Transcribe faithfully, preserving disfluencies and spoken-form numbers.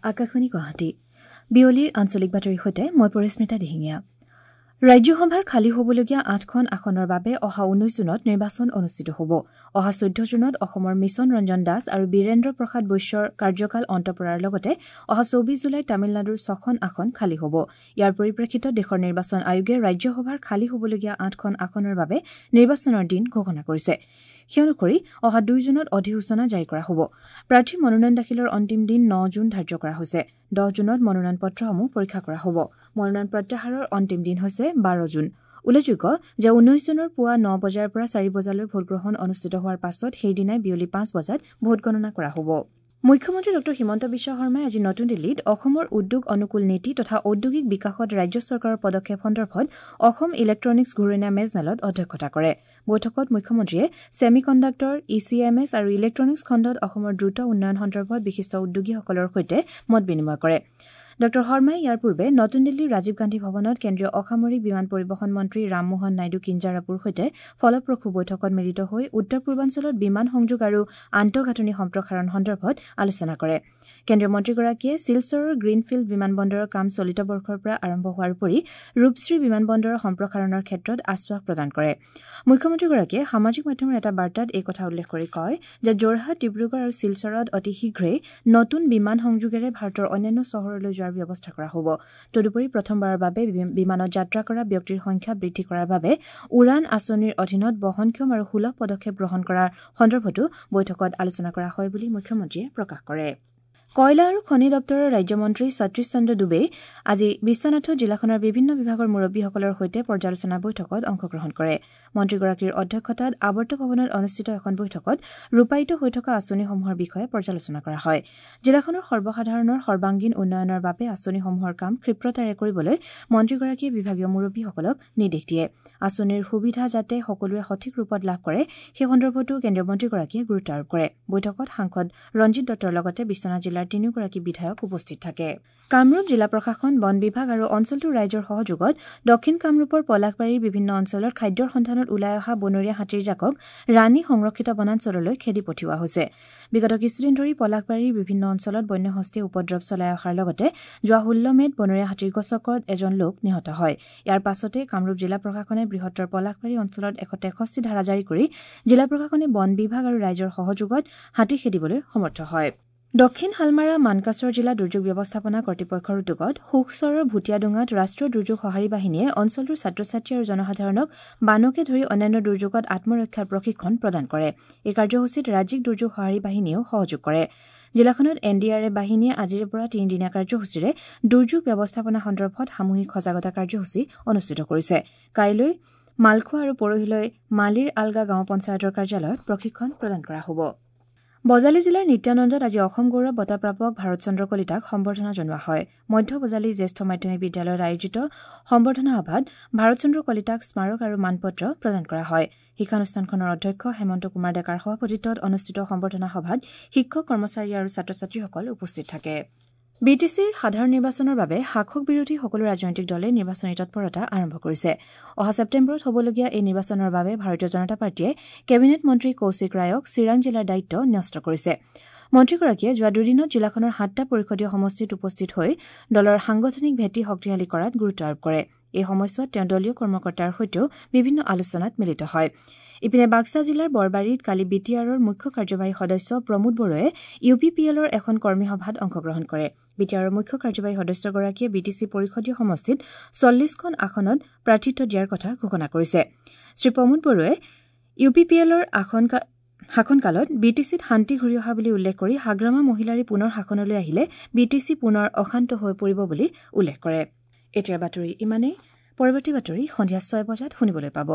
আকাশবাণী গুৱাহাটী বিয়লিৰ আঞ্চলিক বাতৰিৰ সৈতে মই পৰিস্মিতা দিহিঙীয়া। ৰাজ্যসভাৰ খালী হ'বলগীয়া আঠখন আসনৰ বাবে অহা ঊনৈশ জুনত নিৰ্বাচন অনুষ্ঠিত হ'ব। অহা চৈধ্য জুনত অসমৰ মিছন ৰঞ্জন দাস আৰু বীৰেন্দ্ৰ প্ৰসাদ বৈশ্যৰ কাৰ্যকাল অন্ত পৰাৰ লগতে অহা চৌবিশ জুলাইত তামিলনাডুৰ ছখন আসন খালী হ'ব। ইয়াৰ পৰিপ্ৰেক্ষিতত দেশৰ নিৰ্বাচন আয়োগে ৰাজ্যসভাৰ খালী হ'বলগীয়া আঠখন আসনৰ বাবে নিৰ্বাচনৰ দিন ঘোষণা কৰিছে। সেই অনুসৰি অহা দুই জুনত অধিসূচনা জাৰি কৰা হ'ব। প্ৰাৰ্থী মনোনয়ন দাখিলৰ অন্তিম দিন ন জুন ধাৰ্য কৰা হৈছে। দহ জুনত মনোনয়ন পত্ৰসমূহ পৰীক্ষা কৰা হ'ব। মনোনয়ন প্ৰত্যাহাৰৰ অন্তিম দিন হৈছে বাৰ জুন। উল্লেখযোগ্য যে ঊনৈশ জুনৰ পুৱা ন বজাৰ পৰা চাৰি বজালৈ ভোটগ্ৰহণ অনুষ্ঠিত হোৱাৰ পাছত সেইদিনাই বিয়লি পাঁচ বজাত ভোটগণনা কৰা হ'ব। মুখ্যমন্ত্ৰী ডঃ হিমন্ত বিশ্ব শৰ্মাই আজি নতুন দিল্লীত অসমৰ উদ্যোগ অনুকূল নীতি তথা ঔদ্যোগিক বিকাশত ৰাজ্য চৰকাৰৰ পদক্ষেপ সন্দৰ্ভত অসম ইলেক্ট্ৰনিক্স ঘূৰণীয়া মেজমেলত অধ্যক্ষতা কৰে। বৈঠকত মুখ্যমন্ত্ৰীয়ে semiconductor, E C M S আৰু ইলেক্ট্ৰনিক্স খণ্ডত অসমৰ দ্ৰুত উন্নয়ন সন্দৰ্ভত বিশিষ্ট উদ্যোগীসকলৰ সৈতে মত বিনিময় কৰে। ডঃ শৰ্মাই ইয়াৰ পূৰ্বে নতুন দিল্লীৰ ৰাজীৱ গান্ধী ভৱনত কেন্দ্ৰীয় অসামৰিক বিমান পৰিবহণ মন্ত্ৰী ৰামমোহন নাইডু কিঞ্জাৰাপুৰ সৈতে ফলপ্ৰসূ বৈঠকত মিলিত হৈ উত্তৰ পূৰ্বাঞ্চলত বিমান সংযোগ আৰু আন্তঃগাঁথনি সম্প্ৰসাৰণ সন্দৰ্ভত আলোচনা কৰে। কেন্দ্ৰীয় মন্ত্ৰীগৰাকীয়ে শিলচৰৰ গ্ৰীণফিল্ড বিমানবন্দৰৰ কাম চলিত বৰ্ষৰ পৰা আৰম্ভ হোৱাৰ উপৰি ৰূপশ্ৰী বিমানবন্দৰৰ সম্প্ৰসাৰণৰ ক্ষেত্ৰত আশ্বাস প্ৰদান কৰে। মুখ্যমন্ত্ৰীগৰাকীয়ে সামাজিক মাধ্যমৰ এটা বাৰ্তাত এই কথা উল্লেখ কৰি কয় যে যোৰহাট, ডিব্ৰুগড় আৰু শিলচৰত অতি শীঘ্ৰেই নতুন বিমান সংযোগেৰে ভাৰতৰ অন্যান্য চহৰলৈ যোৱাৰ ব্যৱস্থা কৰা হ'ব। তদুপৰি প্ৰথমবাৰৰ বাবে বিমানত যাত্ৰা কৰা ব্যক্তিৰ সংখ্যা বৃদ্ধি কৰাৰ বাবে উড়ান আঁচনিৰ অধীনত বহনক্ষম আৰু সুলভ পদক্ষেপ গ্ৰহণ কৰাৰ সন্দৰ্ভতো বৈঠকত আলোচনা কৰা হয় বুলি মুখ্যমন্ত্ৰীয়ে প্ৰকাশ কৰে। কয়লা আৰু খনি দপ্তৰৰ ৰাজ্যমন্ত্ৰী সতীশ চন্দ্ৰ ডুবেই আজি বিশ্বনাথত জিলাখনৰ বিভিন্ন বিভাগৰ মুৰব্বীসকলৰ সৈতে পৰ্যালোচনা বৈঠকত অংশগ্ৰহণ কৰে। মন্ত্ৰীগৰাকীৰ অধ্যক্ষতাত আৱৰ্ত ভৱনত অনুষ্ঠিত এখন বৈঠকত ৰূপায়িত হৈ থকা আঁচনিসমূহৰ বিষয়ে পৰ্যালোচনা কৰা হয়। জিলাখনৰ সৰ্বসাধাৰণৰ সৰ্বাংগীন উন্নয়নৰ বাবে আঁচনিসমূহৰ কাম ক্ষিপ্ৰতাৰে কৰিবলৈ মন্ত্ৰীগৰাকীয়ে বিভাগীয় মুৰব্বীসকলক নিৰ্দেশ দিয়ে। আঁচনিৰ সুবিধা যাতে সকলোৱে সঠিক ৰূপত লাভ কৰে সেই সন্দৰ্ভতো কেন্দ্ৰীয় মন্ত্ৰীগৰাকীয়ে গুৰুত্ব আৰোপ কৰে। বৈঠকত সাংসদ ৰঞ্জিত দত্তৰ লগতে বিশ্বনাথ জিলাৰ তিনিওগৰাকী বিধায়ক উপস্থিত থাকে। কামৰূপ জিলা প্ৰশাসন, বন বিভাগ আৰু অঞ্চলটোৰ ৰাইজৰ সহযোগত দক্ষিণ কামৰূপৰ পলাশবাৰীৰ বিভিন্ন অঞ্চলত খাদ্যৰ সন্ধানত ওলাই অহা বনৰীয়া হাতীৰ জাকক ৰাণী সংৰক্ষিত বনাঞ্চললৈ খেদি পঠিওৱা হৈছে। বিগত কিছুদিন ধৰি পলাশবাৰীৰ বিভিন্ন অঞ্চলত বন্যহস্তীয়ে উপদ্ৰৱ চলাই অহাৰ লগতে যোৱা ষোল্ল মে'ত বনৰীয়া হাতীৰ গছকত এজন লোক নিহত হয়। ইয়াৰ পাছতে কামৰূপ জিলা প্ৰশাসনে বৃহত্তৰ পলাশবাৰী অঞ্চলত এশ তেষষ্ঠি ধাৰা জাৰি কৰি জিলা প্ৰশাসনে বন বিভাগ আৰু ৰাইজৰ সহযোগত হাতী খেদিবলৈ সমৰ্থ হয়। দক্ষিণ শালমাৰা মানকাচৰ জিলা দুৰ্যোগ ব্যৱস্থাপনা কৰ্তৃপক্ষৰ উদ্যোগত সুখচৰৰ ভুটীয়াডোঙাত ৰাষ্ট্ৰীয় দুৰ্যোগ সঁহাৰি বাহিনীয়ে অঞ্চলটোৰ ছাত্ৰ ছাত্ৰী আৰু জনসাধাৰণক বানকে ধৰি অন্যান্য দুৰ্যোগত আত্মৰক্ষাৰ প্ৰশিক্ষণ প্ৰদান কৰে। এই কাৰ্যসূচীত ৰাজ্যিক দুৰ্যোগ সঁহাৰি বাহিনীয়েও সহযোগ কৰে। জিলাখনত এন ডি আৰ এ বাহিনীয়ে আজিৰে পৰা তিনিদিনীয়া কাৰ্যসূচীৰে দুৰ্যোগ ব্যৱস্থাপনা সন্দৰ্ভত সামূহিক সজাগতা কাৰ্যসূচী অনুষ্ঠিত কৰিছে। কাইলৈ মালখোৱা আৰু পৰহিলৈ মালিৰ আলগা গাঁও পঞ্চায়তৰ কাৰ্যালয়ত প্ৰশিক্ষণ প্ৰদান কৰা হ'ব। বজালী জিলাৰ নিত্যানন্দত আজি অসম গৌৰৱ বঁটা প্ৰাপক ভাৰত চন্দ্ৰ কলিতাক সম্বৰ্ধনা জনোৱা হয়। মধ্য বজালী জ্যেষ্ঠ মাধ্যমিক বিদ্যালয়ত আয়োজিত সম্বৰ্ধনা সভাত ভাৰত চন্দ্ৰ কলিতাক স্মাৰক আৰু মানপত্ৰ প্ৰদান কৰা হয়। শিক্ষানুষ্ঠানখনৰ অধ্যক্ষ হেমন্ত কুমাৰ ডেকাৰ সভাপতিত্বত অনুষ্ঠিত সম্বৰ্ধনা সভাত শিক্ষক, কৰ্মচাৰী আৰু ছাত্ৰ ছাত্ৰীসকল উপস্থিত থাকে। বি টি চিৰ সাধাৰণ নিৰ্বাচনৰ বাবে শাসক বিৰোধী সকলো ৰাজনৈতিক দলে নিৰ্বাচনী তৎপৰতা আৰম্ভ কৰিছে। অহা ছেপ্টেম্বৰত হ'বলগীয়া এই নিৰ্বাচনৰ বাবে ভাৰতীয় জনতা পাৰ্টীয়ে কেবিনেট মন্ত্ৰী কৌশিক ৰায়ক চিৰাং জিলাৰ দায়িত্ব ন্যস্ত কৰিছে। মন্ত্ৰীগৰাকীয়ে যোৱা দুদিনত জিলাখনৰ সাতটা পৰিষদীয় সমষ্টিত উপস্থিত হৈ দলৰ সাংগঠনিক ভেটি শক্তিশালী কৰাত গুৰুত্ব আৰোপ কৰে। এই সময়ছোৱাত তেওঁ দলীয় কৰ্মকৰ্তাৰ সৈতেও বিভিন্ন আলোচনাত মিলিত হয়। ইপিনে বাক্সা জিলাৰ বৰবাৰীত কালি বি টি আৰৰ মুখ্য কাৰ্যবাহী সদস্য প্ৰমোদ বড়োৱে ইউ পি পি এলৰ এখন কৰ্মী সভাত অংশগ্ৰহণ কৰে। বি টি আৰৰ মুখ্য কাৰ্যবাহী সদস্যগৰাকীয়ে বি টি চি পৰিষদীয় সমষ্টিত চল্লিছখন আসনত প্ৰাৰ্থিত্ব দিয়াৰ কথা ঘোষণা কৰিছে। শ্ৰী প্ৰমোদ বড়োৱে ইউ পি পি এলৰ আসন শাসনকালত বি টি চিত শান্তি ঘূৰি অহা বুলি উল্লেখ কৰি হাগ্ৰামা মহিলাৰী পুনৰ শাসনলৈ আহিলে বি টি চি পুনৰ অশান্ত হৈ পৰিব বুলি উল্লেখ কৰে। এতিয়াৰ বাতৰি ইমানেই। পৰৱৰ্তী বাতৰি সন্ধিয়া ছয় বজাত শুনিবলৈ পাব।